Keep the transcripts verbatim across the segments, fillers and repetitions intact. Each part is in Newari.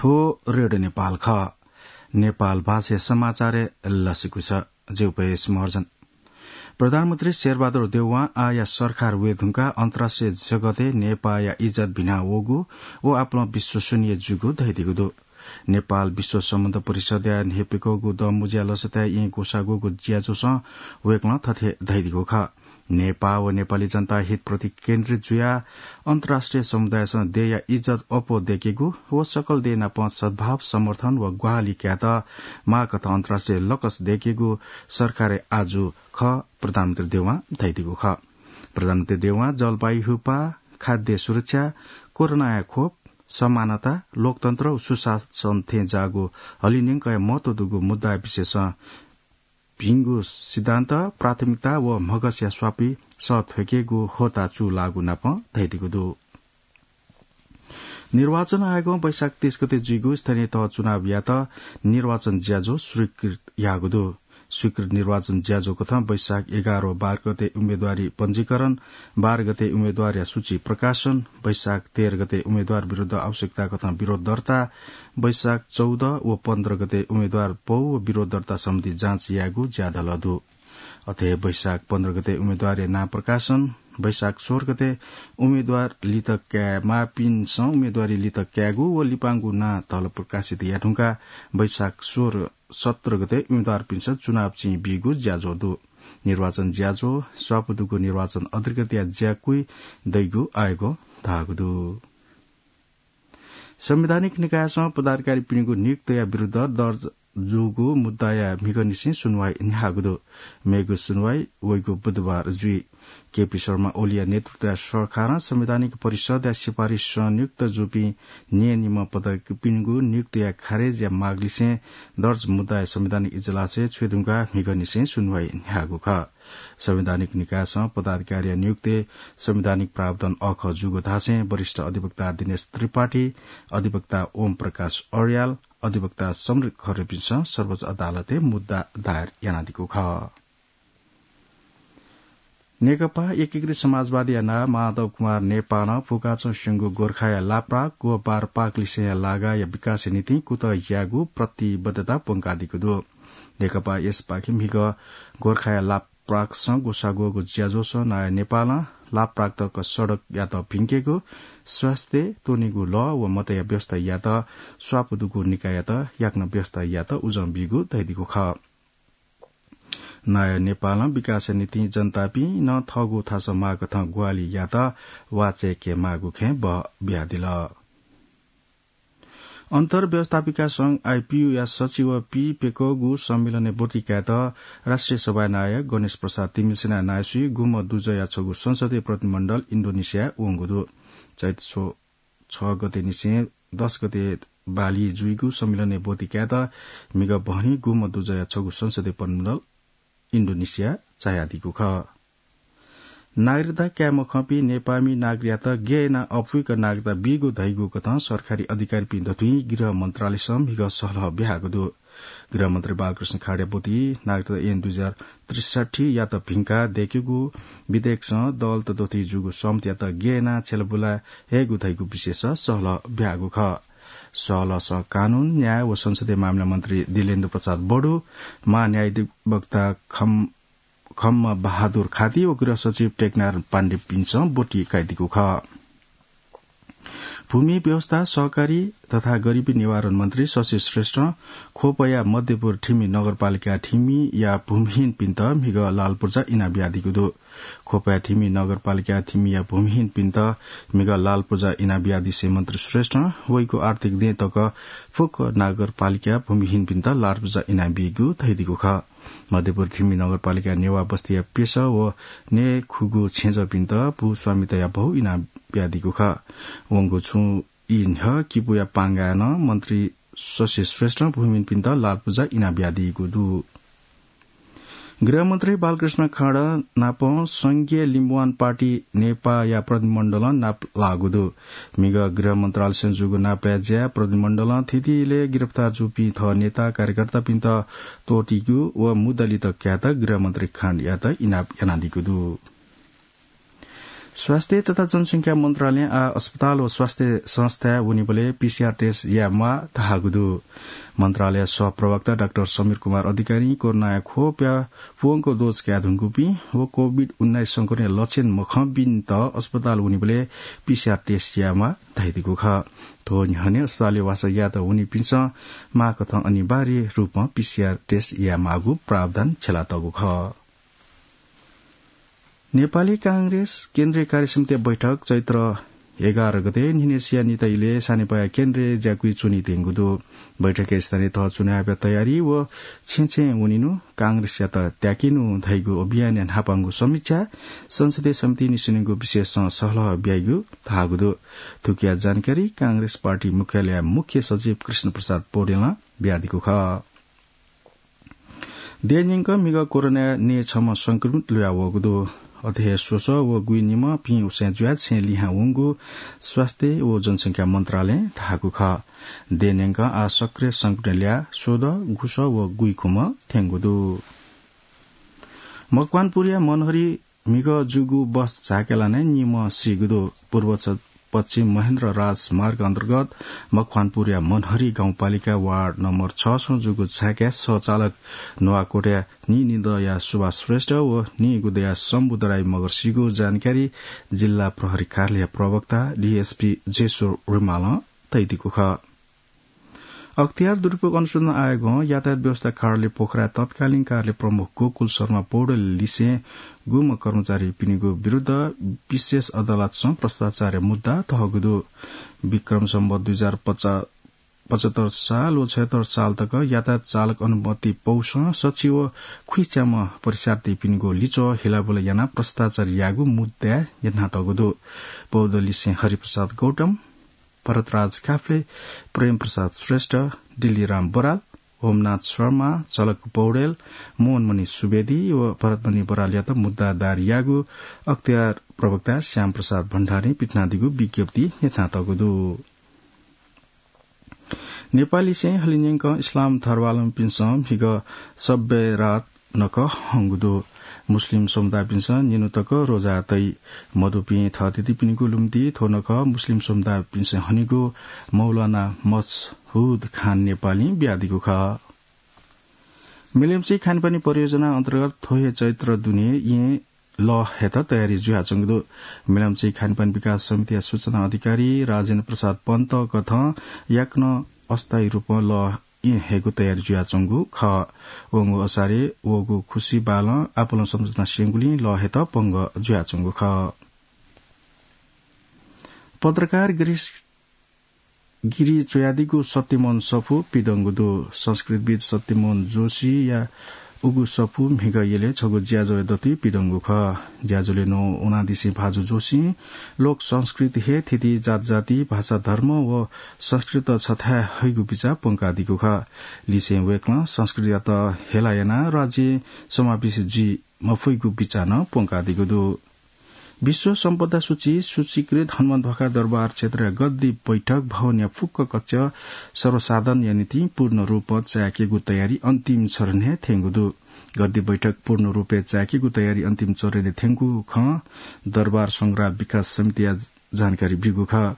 थ्व रेडियो नेपाल खः। नेपाल भाषाया समाचारय् लसिकुस। ज्यू पयस महर्जन। प्रधानमन्त्री शेरबहादुर देउवां आःया सरकार वये धुंकाः अन्तर्राष्ट्रिय जगतय् नेपाःया इज्जत भिना वःगु व आपालं विश्वसनीय जूगु धयादीगु दु। नेपाल विश्व सम्बन्ध परिषदया न्ह्यइपुगु दँमुँज्या लसताय् येँ ग्वसाःगुगु ज्याझ्वलय् वय्कलं थथे धयादीगु खः। नेपाः व नेपाली जनता हितप्रति केन्द्रित जुयाः अन्तर्राष्ट्रिय समुदायसं देय्‌या इज्जत अप्वः दय्‌केगु व सकल देय् नाप सद्भाव, समर्थन व ग्वाहालि कायेत माःकथं अन्तर्राष्ट्रिय लकस दय्‌केगु सरकारया आजु खः, प्रधानमन्त्री देउवां धयादीगु खः। प्रधानमन्त्री देउवां जलवायु हुपा, खाद्य सुरक्षा, कोरोनाया खोप, समानता, लोकतन्त्र व सुशासन थें जाःगु हलिंन्यंकया महत्व दुगु मुद्दाया विषयसं भिंगु सिद्धान्त, प्राथमिकता व म्हगसया स्वापी सः थ्वय्‌केगु होता चूलाःगु नाप धयादीगु दु। निर्वाचन आयोगं वैशाख तीस गते जुइगु स्थानीय तह चुनावयात निर्वाचन ज्याझ्वः स्वीकृत याःगु दु। स्वीकृत निर्वाचन ज्याझ्वः कथं वैशाख एघार व बाह्र गते उम्मेदवारी पञ्जीकरण, बाह्र गते उम्मेदवारया सूची प्रकाशन, वैशाख तेह्र गते उम्मेदवार विरुद्ध आवश्यकता कथं विरोध दर्ता, वैशाख चौध व पन्ध्र गते उम्मेदवार पौ व विरोध दर्ता सम्बन्धी जाँच यायेगु ज्याझ्वः दु। अथे हे वैशाख पन्ध्र गते उम्मेदवारया नां प्रकाशन, वैशाख सोह्र गते उम्मेदवार लित काये माःपिन्सं उम्मेदवारी लित कायेगु व लिपांगु नां तःधंगु प्रकाशित याये धुंकाः वैशाख सोह्र सत्र गते उम्मेदवारपिन्सं चुनाव चिं बीगु ज्याझ्वः दु। निर्वाचन ज्याझ्वः स्वापू दुगु निर्वाचन अधिकृतया ज्याकुइ दइगु आयोगं धाःगु दु। संवैधानिक निकायसं पदाधिकारीपिनिगु नियुक्तिया विरुद्ध दर्ज जूगु मुद्दाया म्हिगःनिसें सुनुवाइ न्ह्याःगु दु। मेगु सुनुवाइ वइगु बुधबार जुइ। केपी शर्मा ओलीया नेतृत्वया सरकारं संवैधानिक परिषदया सिफारिससं नियुक्त जूपिं न्यय्‌निम्ह पदाधिकारीपिनिगु नियुक्तिया खारेजया मागलिसें दर्ज मुद्दाया संवैधानिक इजलासय् छ्वये धुंकाः म्हिगःनिसें सुनुवाइ न्ह्याःगु खः। संवैधानिक निकायसं पदाधिकारीया नियुक्तिय् संवैधानिक प्रावधान अःखः जूगु धासें वरिष्ठ अधिवक्ता दिनेश त्रिपाठी, अधिवक्ता ओम प्रकाश अर्याल, अधिवक्ता समर खरेलपिन्सं सर्वोच्च अदालतय् मुद्दा दायर यानादीगु खः। नेकपा एकीकृत समाजवादीया नायः माधव कुमार नेपालं फुकाच्वंस्यंगु गोर्खाया लाप्राक व बारपाक लिसेंया लागाया विकासया निंतिं कुतः यायेगु प्रतिबद्धता प्वंकादीगु दु। नेकपा एसपाखें म्हिगः गोर्खाया लाप्राकसं ग्वसाः ग्वःगु ज्याझ्वलय् नायः नेपालं लाप्राक तक सडकयात भिंकेगु, स्वास्थ्य, त्वनेगु लः व मतया व्यवस्था यायेत स्वापू दुगु निकाययात याकनं व्यवस्था यायेत उजं बीगु धयादीगु खः। नायः नेपालं विकासया निंतिं जनतापिं नं थःगु थासं माःगु कथं ग्वाहालि यायेत वाःचाय्‌के माःगु खँय् बः बियादिल। अन्तर्व्यवस्थापिका संघ आइपियूया सचिव पीप्यकःगु सम्मेलनय् ब्वति कायेत राष्ट्रिय सभाया नायः गणेश प्रसाद तिमिल्सिनाया नायःसुइ गुम्ह दुजःया छगू संसदीय प्रतिनिधिमण्डल इन्डोनेसियाय् वंगु दु। चैत छ गते निसें दस गते बाली जुइगु सम्मेलनय् ब्वति कायेत म्हिगः बहनी गुम्ह दुजःया छगू संसदीय प्रतिनिधिमण्डल इन्डोनेसिया झायादीगु खः। नागरिकता काये मखंपिं नेपाःमि नागरिकयात गय् यानाः अप्वय्क नागरिकता बीगु धइगु कथं सरकारी अधिकारीपिं दथुइ गृह मन्त्रालयसं म्हिगः सहलह बियागु दु। गृहमन्त्री बालकृष्ण खाँडया ब्वति नागरिकता ऐन दुई हजार त्रिसठ्ठीयात भिंकाः दय्केगु विधेयकसं दलत दथुइ जूगु सहमतियात गय् यानाः छ्यलाबुला यायेगु धइगु विषयस सहलह बियागु खः। सहलहसं कानून, न्याय व संसदीय मामिला मन्त्री दिलेन्द्र प्रसाद बडु, महान्यायाधिवक्ता खम खम्म बहादुर खाती व गृह सचिव टेकनारायण पाण्डेपिन्सं ब्वति काइदीगु खः। भूमि व्यवस्था, सहकारी तथा गरिबी निवारण मन्त्री शशि श्रेष्ठं ख्वपया मध्यपुर थिमि नगरपालिका थिमिया भूमिहीनपिन्त म्हिगः लालपुर्जा इनाबियादीगु दु। ख्वपया थिमि नगरपालिका थिमिया भूमिहीनपिन्त म्हिगः लालपुर्जा इनाबियादिसें मन्त्री श्रेष्ठं वइगु आर्थिक दँय् तक फुक्क नगरपालिका भूमिहीनपिन्त लालपुर्जा इनाबीगु धयादीगु खः। मध्यपुर थिमि नगरपालिका नेवाः बस्तीया पेसः व नयेखुगू छेँजःपिन्त भूस्वामिताया भौ इनाबियादीगु खः। वंगु छुं ई न्ह्यः किपूया पांगाय् नं मन्त्री शशि श्रेष्ठं भूमिहीनपिन्त लालपुर्जा इनाबियादीगु दु। गृहमन्त्री बालकृष्ण खाँड नाप संघीय लिम्बुवान पार्टी नेपाःया प्रतिनिधिमण्डलं नाप लाःगु दु। म्हिगः गृह मन्त्रालयसं जूगु नापलाये ज्याय् प्रतिनिधिमण्डलं थीथी इलय् गिरफ्तार जूपिं थः नेता कार्यकर्तापिन्त त्वःतीगु व मुद्दा लित कायेत गृहमन्त्री खाँडयात इनाप यानादीगु दु। स्वास्थ्य तथा जनसंख्या मन्त्रालयं आः अस्पताल व स्वास्थ्य संस्थाय् वनीबलय् पीसीआर टेस्ट याये म्वाः धाःगु दु। मन्त्रालय सहप्रवक्ता डाक्टर समीर कुमार अधिकारीं कोरोनाया ख्वपया प्वंक डोज काये धुंकूपिं व कोभिड उन्नाइस संक्रमणया लक्षण मखंपिन्त अस्पताल वनीबलय् पीसीआर टेस्ट याये म्वाः धयादीगु खः। थ्व न्ह्यःने अस्पतालय् वासः यायेत वनीपिन्सं माःकथं अनिवार्य रूपं पीसीआर टेस्ट याये माःगु प्रावधान छ्यलातःगु खः। नेपाली कांग्रेस केन्द्रीय कार्यसमितिया बैठक चैत्र एघार गते न्हिनेसिया निता इलय् सानेपाया केन्द्रय् ज्याकुइ च्वनीत्यंगु दु। बैठकय् स्थानीय तह चुनावया तयारी व छेँय् छेँय् वनेनु, कांग्रेसयात त्याकेनु धइगु अभियानया न्हापांगु समीक्षा, संसदीय समितिं निस्वनीगु विषयसं सहलह ब्याइगु धाःगु दु। थुकिया जानकारी कांग्रेस पार्टी मुख्यालयया मुख्य सचिव कृष्ण प्रसाद पौडेलं बियादीगु खः। देय् न्यंक म्हिगः कोरोनाया नये छम्ह संक्रमित लुया वःगु दु। अथे हे स्वसः व गुइनिम्ह पिं उसय् जुयाः छेँ लिहां वंगु स्वास्थ्य व जनसंख्या मन्त्रालयं धाःगु खः। देय् न्यंक आः सक्रिय संक्रमित ल्याः स्वदँ, गुसः व गुइखुम्ह थ्यंगु दु। मकवानपुरया मनहरी म्हिगः जूगु बस झाँक्या लानाय् निम्ह सीगु दु। पूर्व छ-, पश्चिम महेन्द्र राजमार्ग अन्तर्गत मकवानपुरया मनहरी गाउँपालिका वार्ड नम्बर छ सं जूगु झाँक्याय् सह चालक नुवाकोटया नीनिदँया सुभाष श्रेष्ठ व नीगुदँया शम्भु दराई मगर सीगु जानकारी जिल्ला प्रहरी कार्यालय प्रवक्ता डीएसपी जेश्वर रिमालं तयादीगु खः। अख्तियार दुरुपयोग अनुसन्धान आयोगं यातायात व्यवस्था कार्यालय पोखराया तत्कालीन कार्यालय प्रमुख गोकुल शर्मा पौडेल लिसें गुम्ह कर्मचारीपिनिगु विरुद्ध विशेष अदालतसं भ्रष्टाचारया मुद्दा तःगु दु। विक्रम सम्वत दुई हजार पचा-, पचहत्तर साल व छयहत्तर साल तक यातायात चालक अनुमति पौसं सच्छि व खुइच्याम्ह परीक्षार्थीपिनिगु लिच्वः हिलाबुला यानाः भ्रष्टाचार याःगु मुद्दाय् न्ह्यथनातःगु दु। पौडेल लिसें हरिप्रसाद गौतम, भरतराज काफ्ले, प्रेमप्रसाद श्रेष्ठ, दिल्लीराम बराल, होमनाथ शर्मा, झलक पौडेल, मोहनमणि सुवेदी व भरतमणि बरालयात मुद्दा दायर याःगु अख्तियार प्रवक्ता श्यामप्रसाद भण्डारीं पिथनादीगु विज्ञप्तिय् न्ह्यथनातःगु दु। नेपाललिसें हलिंन्यंकं इस्लाम धर्मावलम्बीपिन्सं म्हिगः शब्बे रात नखः हंगु दु। मुस्लिम समुदायपिन्सं निन्हु तक रोजा तइ। मदुपिं थःथितिपिनिगु लुमन्ति थ्व नखः मुस्लिम समुदायपिन्सं हनीगु मौलाना मसहुद खान नेपालीं बियादीगु खः। मिलय् च्वंगु खानेपानी परियोजना अन्तर्गत थ्व हे चैत्र दुने येँ लः हयेत तयारी जुयाच्वंगु दु। मिलय् च्वंगु खानेपानी विकास समितिया सूचना अधिकारी राजेन्द्र प्रसाद पन्तकथं याकनं अस्थायी रूपं लः येँ हयेगु तयारी जुयाच्वंगु खः। वंगु असारय् वःगु खुसि बालं आपालं सम्झना स्यंगुलिं लः हयेत पंगः जुयाच्वंगु खः। पत्रकार गिरीश गिरी च्वयादीगु सत्यमोहन सफू पिदंगु दु। संस्कृतविद् सत्यमोहन जोशीया उगु सफू म्हिगः यलय् छगू ज्याझ्वःया दथुइ पिदंगु खः। ज्याझ्वलय् न्ववानादिसें भाजु जोशीं लोक संस्कृति हे थीथी जात जाति, भाषा, धर्म व संस्कृति छथाय् हइगु बिचाः प्वंकादीगु खः। लिसें वय्कलं संस्कृतियात हेला यानाः राज्यय् समावेशी जुइ मफइगु बिचाः नं प्वंकादीगु दु। विश्व सम्पदा सूची सूचीकृत हनुमानध्वाखा दरबार क्षेत्रया गद्दी बैठक भवनया फुक्क कक्ष सर्वसाधारणया निंतिं पूर्ण रूपं चाय्केगु तयारी अन्तिम चरणय् थ्यंगु दु। गद्दी बैठक पूर्ण रूपय् चाय्केगु तयारी अन्तिम चरणय् थ्यंगु खँ दरबार संग्रहालय विकास समितिया जानकारी ब्यूगु खः।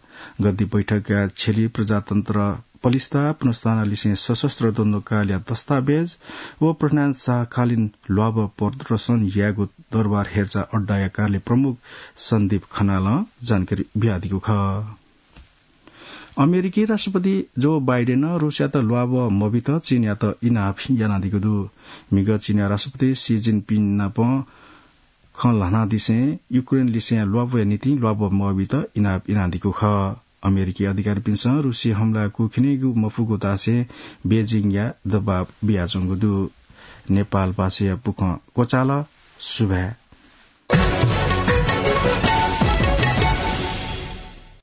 गद्दी बैठकया छ्यली प्रजातन्त्र पलिस्था पुनर्स्थापना लिसें सशस्त्र द्वन्द्वकालया दस्तावेज व पृथ्वीनारायण शाहकालीन ल्वाभः प्रदर्शन यायेगु दरबार हेरचाह अड्डाया कार्यालय प्रमुख सन्दीप खनालं जानकारी बियादीगु खः। अमेरिकी राष्ट्रपति जो बाइडेनं रूसयात ल्वाभः मबीत चीनयात इनाप यानादीगु दु। म्हिगः चीनया राष्ट्रपति सी जिनपिङ नाप खँ ल्हानादिसें युक्रेन लिसें ल्वाभःया निंतिं ल्वाभः मबीत इनाप यानादीगु खः। अमेरिकी अधिकारीपिन्सं रूसी हमलाय् कुखिनेगु मफुगु धासें बेजिङया दबाब बियाच्वंगु दु। नेपाल भाषाया बुखँ क्वचाल। सुभाय्।